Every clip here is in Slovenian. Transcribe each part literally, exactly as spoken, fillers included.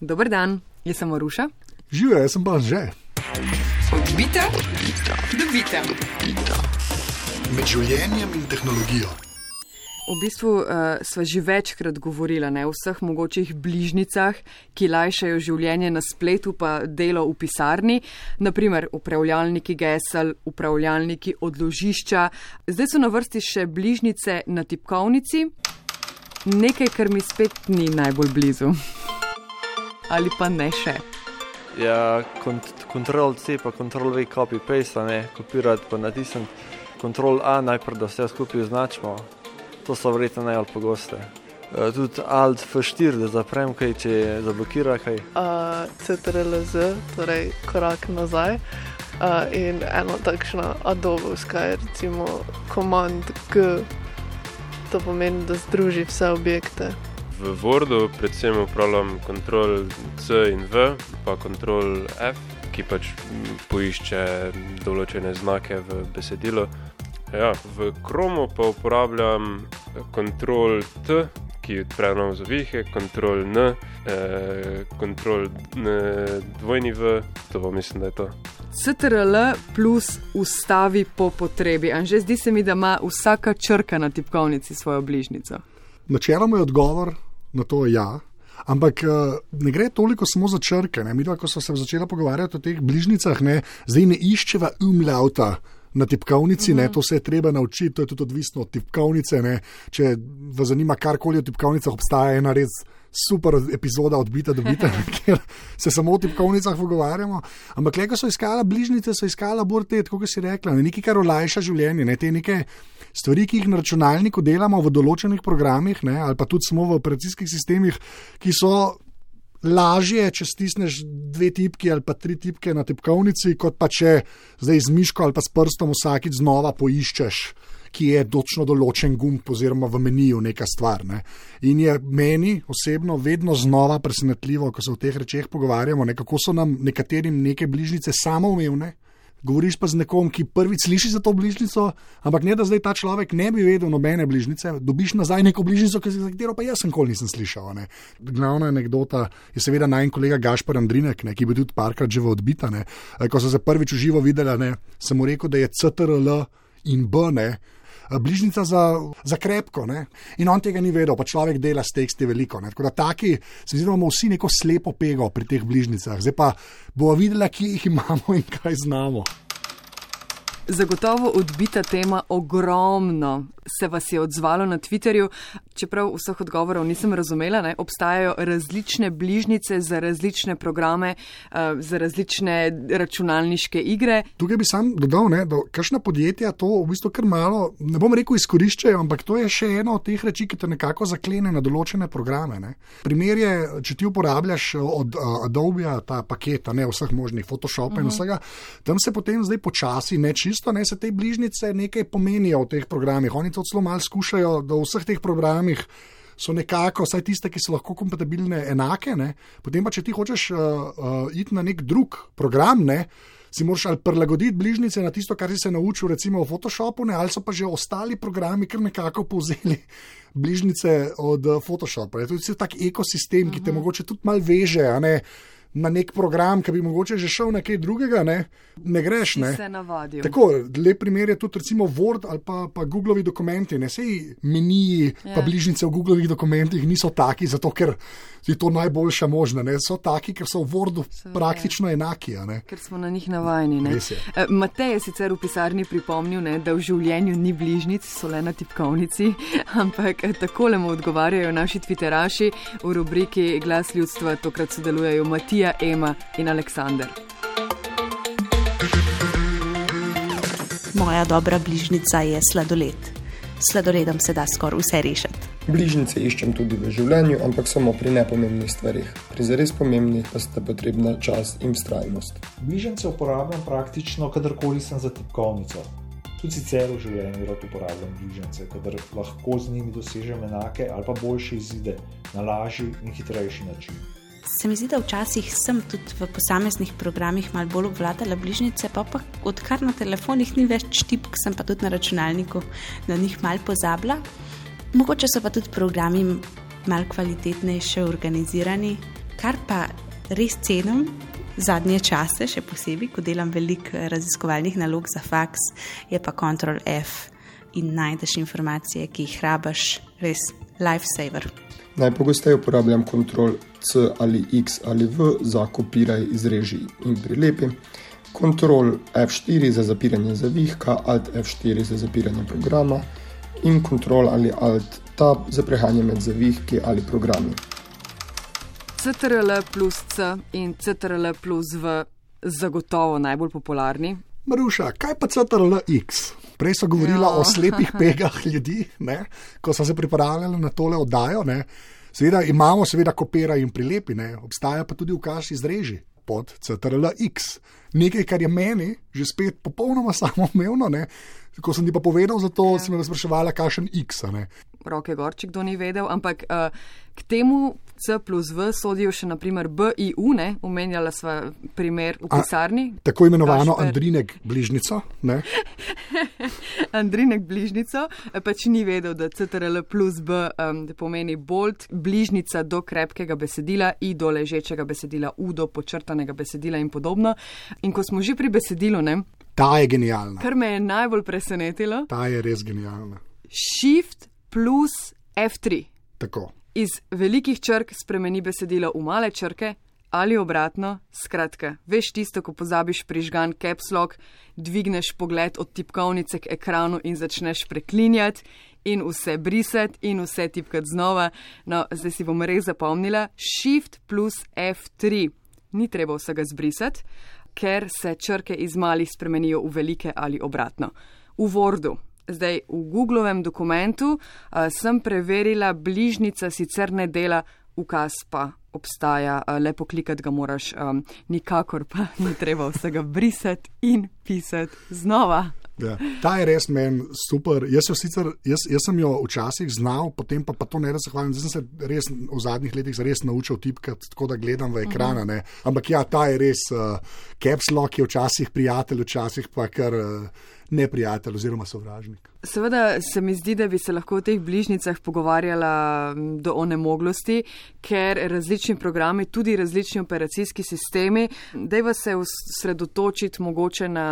Dober dan, jaz sem Maruša. Živijo, jaz sem pa Anže. Odbita, dobita. Med življenjem in tehnologijo. V bistvu uh, sva že večkrat govorila ne, o vseh mogočih bližnicah, ki lajšajo življenje na spletu pa delo v pisarni, naprimer upravljalniki gesel, upravljalniki odložišča. Zdaj so na vrsti še bližnice na tipkovnici, nekaj, kar mi spet ni najbolj blizu. Ali pa ne še. Ja, kont- kontrol C pa kontrol V copy paste, ne, kopirati pa natisniti. Kontrol A najprej, da vse skupaj označimo. To so verjetno najbolj pogoste. E, tudi Alt F štiri, da zaprem kaj, če zablokira kaj. Uh, C T R L Z, torej korak nazaj. Uh, in eno takšno adobovska je recimo Command G. To pomeni, da združi vse objekte. V Wordu predvsem upravljam kontrol C in V, pa kontrol F, ki pač poišče določene znake v besedilu. Ja, v Chromu pa uporabljam kontrol T, ki odpre nov zavihe, kontrol N, eh, kontrol N, dvojni V, to pa mislim, da je to. C T R L plus ustavi po potrebi. Anže, zdi se mi, da ima vsaka črka na tipkovnici svojo bližnico. Načeloma je odgovor na to ja, ampak ne gre toliko samo za črke. Ne? Mi, ko smo se začela pogovarjati o teh bližnicah, ne, zdaj ne iščeva umlauta na tipkovnici, ne, to se je treba naučiti, to je tudi odvisno od tipkovnice. Ne. Če vas zanima karkoli o tipkovnicah, obstaja ena res super epizoda Odbita dobita, kjer se samo o tipkovnicah pogovarjamo. Ampak le, ko so iskala bližnice, so iskala bolj te, tako kot si rekla, ne, nekaj, kar olajša življenje, ne, te neke stvari, ki jih na računalniku delamo v določenih programih, ne, ali pa tudi smo v operacijskih sistemih, ki so lažje, če stisneš dve tipki ali pa tri tipke na tipkovnici, kot pa če zdaj z miško ali pa s prstom vsakič znova poiščeš, ki je točno določen gumb oziroma v meniju neka stvar. Ne. In je meni osebno vedno znova presenetljivo, ko se o teh rečeh pogovarjamo, ne, kako so nam nekaterim neke bližnice samoumevne. Govoriš pa z nekom, ki prvič sliši za to bližnico, ampak ne, da zdaj ta človek ne bi vedel nobene bližnice, dobiš nazaj neko bližnico, za katero pa jaz sem kol nisem slišal. Ne. Glavna anekdota je seveda najin kolega Gašper Andrinek, ne, ki bi tudi parkrat že v Odbita. Ne. Ko so se prvič v živo videla, ne, sem mu rekel, da je C T R L in B, ne, bližnica za, za krepko. Ne. In on tega ni vedel, pa človek dela s teksti veliko. Ne. Tako da taki, se mi zdi, da imamo vsi neko slepo pego pri teh bližnicah. Zdaj pa bomo videla, kje jih imamo in kaj znamo. Zagotovo odbita tema, ogromno se vas je odzvalo na Twitterju, čeprav vseh odgovorov nisem razumela, ne? Obstajajo različne bližnice za različne programe, za različne računalniške igre. Tukaj bi sam dodal, ne, da kakšna podjetja to v bistvu kar malo, ne bom rekel izkoriščajo, ampak to je še eno od teh reči, ki te nekako zaklene na določene programe. Ne? Primer je, če ti uporabljaš od uh, Adobija ta paketa, ne, vseh možnih Photoshopa uh-huh. in vsega, tam se potem zdaj počasi ne čisto, ne, se te bližnice nekaj pomenijo v teh programih. Oni to celo malo skušajo, da v vseh teh programih so nekako, vsaj tiste, ki so lahko kompatibilne, enake. Ne? Potem pa, če ti hočeš uh, uh, iti na nek drug program, ne, si moraš ali prilagoditi bližnice na tisto, kar si se naučil recimo v Photoshopu, ne, ali so pa že ostali programi, kar nekako povzeli bližnice od uh, Photoshopa. To je tak ekosistem, ki te uh-huh. mogoče tudi malo veže, a ne, na nek program, ki bi mogoče že šel na kaj drugega, ne, ne greš. Ne. Se navadil. Tako, lep primer je tudi recimo Word ali pa, pa Googlovi dokumenti. Ne, sej meniji ja. pa bližnice v Googlovih dokumentih niso taki, zato ker je to najboljša možna. Ne. So taki, ker so v Wordu so, praktično ja. enaki. Ne. Ker smo na njih navajeni. Ne. E, Matej je sicer v pisarni pripomnil, ne, da v življenju ni bližnic, so le na tipkovnici, ampak takole mu odgovarjajo naši twitteraši v rubriki Glas ljudstva, tokrat sodelujejo Matija, Ema in Aleksander. Moja dobra bližnica je sladoled. Sladoledom se da skoraj vse rešiti. Bližnjice iščem tudi v življenju, ampak samo pri nepomembnih stvarih. Pri zares pomembnih pa sta potrebna čas in vztrajnost. Bližnjice uporabljam praktično, kadarkoli sem za tipkovnico. Tudi sicer v življenju rad uporabljam bližnjice, kadar lahko z njimi dosežem enake ali pa boljše izide na lažji in hitrejši način. Se mi zdi, da včasih sem tudi v posameznih programih malo bolj obvladala bližnjice, pa pa odkar na telefonih ni več tipk, sem pa tudi na računalniku na njih malo pozabila. Mogoče so pa tudi programi malo kvalitetnejše organizirani, Kar pa res cenim zadnje čase, še posebej, ko delam veliko raziskovalnih nalog za faks, je pa kontrol F in najdeš informacije, ki jih rabaš, res lifesaver. Najpogosteje uporabljam kontrol C ali X ali V za kopiraj, izreži in prilepi, kontrol F štiri za zapiranje zavihka, alt F štiri za zapiranje programa in kontrol ali alt tab za prehajanje med zavihki ali programi. C T R L plus C in C T R L plus V zagotovo najbolj popularni. Maruša, kaj pa C T R L X? Prej so govorila jo. o slepih pegah ljudi, ne? Ko so se pripravljali na tole oddajo. Ne? Seveda imamo seveda kopiraj in prilepi, ne? Obstaja pa tudi ukaz izreži pod C T R L X. Nekaj, kar je meni že spet popolnoma samoumevno, ne? Ko sem ti pa povedal za to, ja. sem me spraševala, kakšen X. Ne? Roke gorček, kdo ni vedel, ampak uh, k temu C plus V sodijo še naprimer B I U, ne? Omenjala sva primer v pisarni. A, tako imenovano Kašper. Andrinek bližnico. Ne? Andrinek bližnico, pač ni vedel, da C T R L plus B um, pomeni bold, bližnica do krepkega besedila, I do ležečega besedila, U do počrtanega besedila in podobno. In ko smo že pri besedilu, ne? Ta je genialna. Kar me je najbolj presenetilo. Ta je res genialna. Shift plus F tri. Tako. Iz velikih črk spremeni besedilo v male črke ali obratno. Skratka, veš tisto, ko pozabiš prižgan caps lock, dvigneš pogled od tipkovnice k ekranu in začneš preklinjati in vse brisati in vse tipkati znova. No, zdaj si bom res zapomnila. Shift plus F tri. Ni treba vsega zbrisati, ker se črke iz malih spremenijo v velike ali obratno. V Wordu. Zdaj, v Googlovem dokumentu uh, sem preverila, bližnica sicer ne dela, ukaz pa obstaja, uh, le poklikati ga moraš, um, nikakor pa ni treba vsega brisati in pisati znova. Ja, ta je res meni super. Jaz, sicer, jaz, jaz sem jo včasih znal, potem pa, pa to ne da se hvalim. Zdaj sem se res v zadnjih letih res naučil tipkati, tako da gledam v ekrana. Ne. Ampak ja, ta je res, uh, caps lock je včasih prijatelj, včasih pa kar uh, neprijatelj oziroma sovražnik. Seveda se mi zdi, da bi se lahko v teh bližnicah pogovarjala do onemoglosti, ker različni programi, tudi različni operacijski sistemi, dajva se osredotočiti mogoče na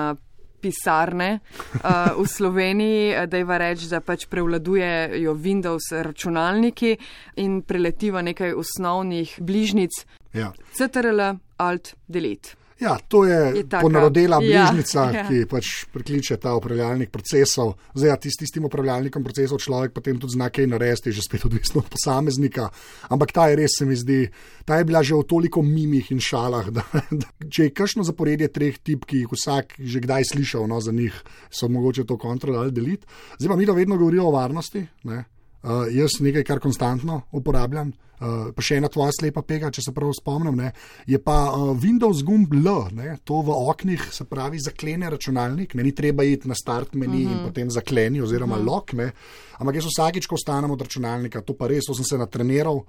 pisarne uh, v Sloveniji, dajva reči, da pač prevladujejo Windows računalniki in preletiva nekaj osnovnih bližnic. Ja. C T R L, Alt, Delete. Ja, to je, je ponarodela bližnica, ja, ja. ki pač prikliče ta upravljalnik procesov. Zdaj, ja, tis, tistim upravljalnikom procesov človek potem tudi zna kaj narediti, že spet odvisno od posameznika. Ampak ta je res, se mi zdi, ta je bila že v toliko mimih in šalah, da, da če je kakšno zaporedje treh tip, ki jih vsak že kdaj slišal, no, za njih so mogoče to Ctrl ali Delete. Zdaj pa mi da vedno govorijo o varnosti, ne? Uh, jaz nekaj, kar konstantno uporabljam, uh, pa še ena tvoja slepa pega, če se prav spomnim, ne, je pa uh, Windows gumb L, ne, to v oknih, se pravi, zaklene računalnik, ne, ni treba iti na start meni uh-huh. in potem zakleni oziroma uh-huh. lock, ne, ampak jaz vsakič, ko vstanem od računalnika, to pa res, to sem se natreniral,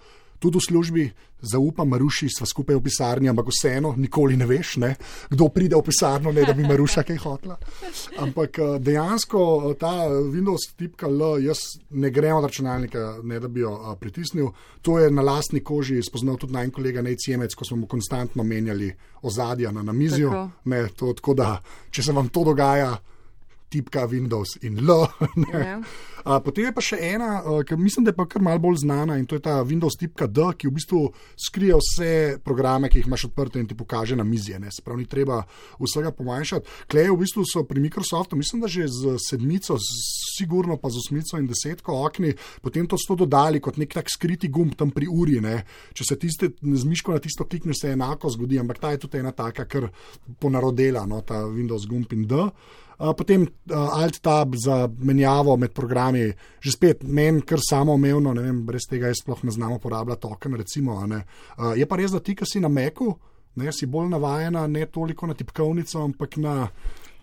tudi v službi, zaupam Maruši, sva skupaj v pisarni, ampak vseeno, nikoli ne veš, ne, kdo pride v pisarno, ne, da bi Maruša kaj hotla. Ampak dejansko ta Windows tipka L, jaz ne grem od računalnika, ne da bi jo a, pritisnil. To je na lastni koži spoznal tudi najn kolega Nej Ciemec, ko smo mu konstantno menjali ozadja na namizju. Tako. Ne, to, tako da, če se vam to dogaja, tipka Windows in L. Yeah. A, potem je pa še ena, ki mislim, da je pa kar malo bolj znana in to je ta Windows tipka D, ki v bistvu skrije vse programe, ki jih imaš odprte in ti pokaže na mizje. Ne? Se pravi, ni treba vsega pomanjšati. Klej v bistvu so pri Microsoftu, mislim, da že z sedmico, sigurno pa z osmico in desetko okni, potem to so dodali kot nek tak skriti gumb tam pri uri. Ne? Če se tiste z miško na tisto klikneš, se enako zgodi, ampak ta je tudi ena taka, kar ponarodela, no, ta Windows gumb in D. Uh, potem uh, Alt-Tab za menjavo med programi, že spet meni kar samoumevno, ne vem, brez tega jaz sploh ne znam uporabljati token, recimo. Ne. Uh, je pa res, da ti, ki si na Macu, ne, si bolj navajena ne toliko na tipkovnico, ampak na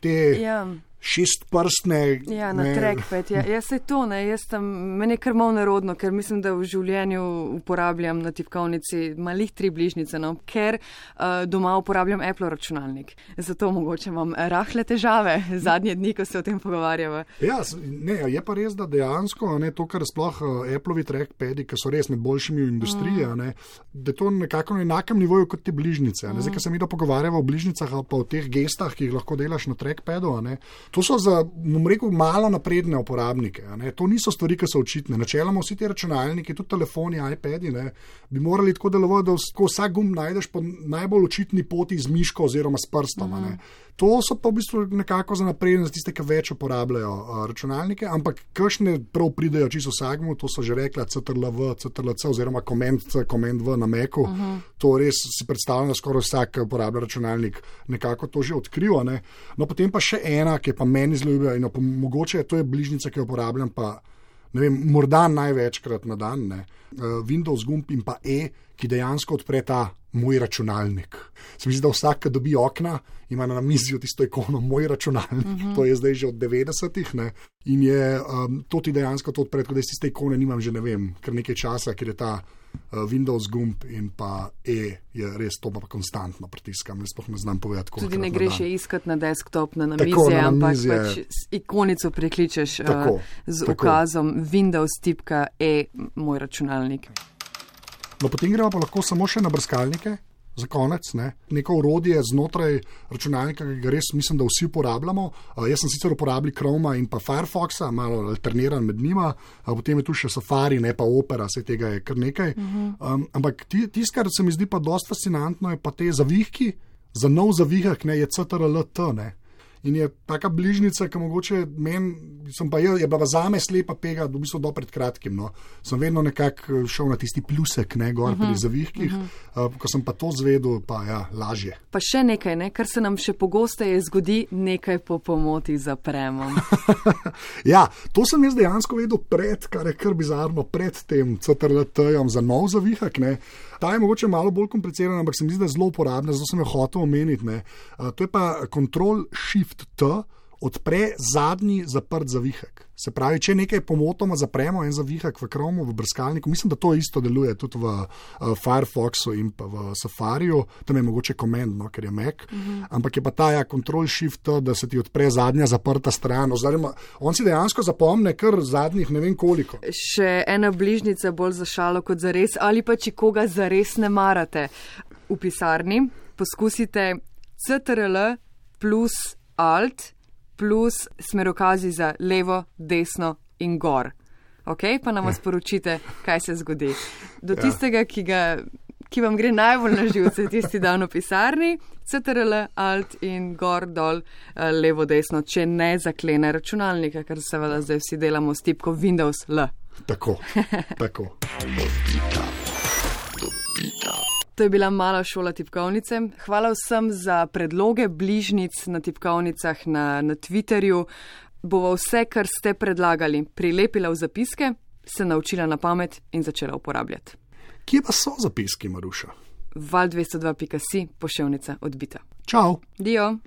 te ja. šestprstne. Ja, na trackpad. Ja, jaz se to, ne, jaz tam, meni je kar malo nerodno, ker mislim, da v življenju uporabljam na tipkovnici malih tri bližnjice, no, ker uh, doma uporabljam Apple računalnik. Zato mogoče imam rahle težave zadnje dni, ko se o tem pogovarjava. Ja, ne, je pa res, da dejansko ne, to, kar sploh uh, Appleovi trackpadi, ki so res med boljšimi v industriji, mm. ne, da je to nekako na enakem nivoju kot te bližnjice. Mm. Zdaj, ker se mi da pogovarjava o bližnjicah ali pa o teh gestah, ki jih lahko delaš na trackpadu, ne. To so za, bom rekel, malo napredne uporabnike. Ne? To niso stvari, ki so očitne. Načeloma vsi ti računalniki, tudi telefoni, iPadi, ne, bi morali tako delovati, da vsak gumb najdeš po najbolj očitni poti z miško oziroma s prstom. Mm. To so pa v bistvu nekako za napredne, za tiste, ki več uporabljajo uh, računalnike, ampak kakšne prav pridejo čisto vsakmu, to so že rekla C T R L V, C T R L C oziroma Command C, Command V na Macu. Uh-huh. To res si predstavljam, da skoraj vsak, ki uporablja računalnik, nekako to že odkriva. Ne? No, potem pa še ena, ki je pa meni zelo ljubila in pa mogoče to je bližnjica, ki jo uporabljam pa, ne vem, morda največkrat na dan, ne? Uh, Windows gumb in pa E, ki dejansko odpre ta moj računalnik. Se mi zdi, da vsak, ki dobi okna, ima na namizju tisto ikono moj računalnik, uh-huh. To je zdaj že od devetdesetih, ne, in je, um, to ti dejansko to odpre, tako da iz tiste ikone nimam že, ne vem, kar nekaj časa, ker je ta uh, Windows gumb in pa E je res to pa konstantno pritiskam, ne sploh ne znam povedati, koliko. Tudi ne greš je iskati na desktop, na namizje, ampak pač ikonico prekličeš uh, z tako. Ukazom Windows tipka E, moj računalnik. No, potem gremo pa lahko samo še na brskalnike, za konec, ne. Neko orodje znotraj računalnika, ki ga res mislim, da vsi uporabljamo. Uh, jaz sem sicer uporabljal Chroma in pa Firefoxa, malo alterniran med njima, uh, potem je tu še Safari, ne pa Opera, se tega je kar nekaj. Uh-huh. Um, ampak tisto, kar se mi zdi pa dosti fascinantno, je pa te zavihki. Za nov zavihek, ne, je C T R L T, ne. In je taka bližnjica, ki mogoče meni, sem pa je, je bila zame slepa pega, v bistvu do pred kratkim, no. Sem vedno nekako šel na tisti plusek, ne, gor uh-huh, pri zavihkih, uh-huh. uh, ko sem pa to zvedel, pa ja, lažje. Pa še nekaj, ne, kar se nam še pogosteje zgodi, nekaj po pomoti zapremo. Ja, to sem jaz dejansko vedel pred, kar je kar bizarno, pred tem C T R L T-jem za nov zavihek, ne. Ta je mogoče malo bolj kompliciran, ampak se mi zdi, da je zelo uporabna, zato sem jo hotel omeniti, ne. Uh, to je pa Control Shift T, odpre zadnji zaprt zavihek. Se pravi, če nekaj pomotoma zapremo en zavihek v Chromu, v brskalniku, mislim, da to isto deluje tudi v uh, Firefoxu in pa v Safariju, tam je mogoče Command, no, ker je Mac, uh-huh. Ampak je pa ta ja, Control Shift T, da se ti odpre zadnja zaprta stran. Oziroma, on si dejansko zapomne kar zadnjih ne vem koliko. Še ena bližnjica bolj za šalo kot za res, ali pa če koga za res ne marate. V pisarni poskusite C T R L plus Alt plus smerokazi za levo, desno in gor. Ok, pa nam sporočite, kaj se zgodi. Do tistega, ki, ga, ki vam gre najbolj na živce, tisti dan v pisarni, C T R L, Alt in gor, dol, levo, desno, če ne zaklene računalnika, ker seveda zdaj vsi delamo s tipko Windows L. Tako, tako. To je bila mala šola tipkovnice. Hvala vsem za predloge bližnjic na tipkovnicah na, na Twitterju. Bova vse, kar ste predlagali, prilepila v zapiske, se naučila na pamet in začela uporabljati. Kje pa so zapiski, Maruša? val dvesto dva pika si, poševnica odbita. Čau. Dio.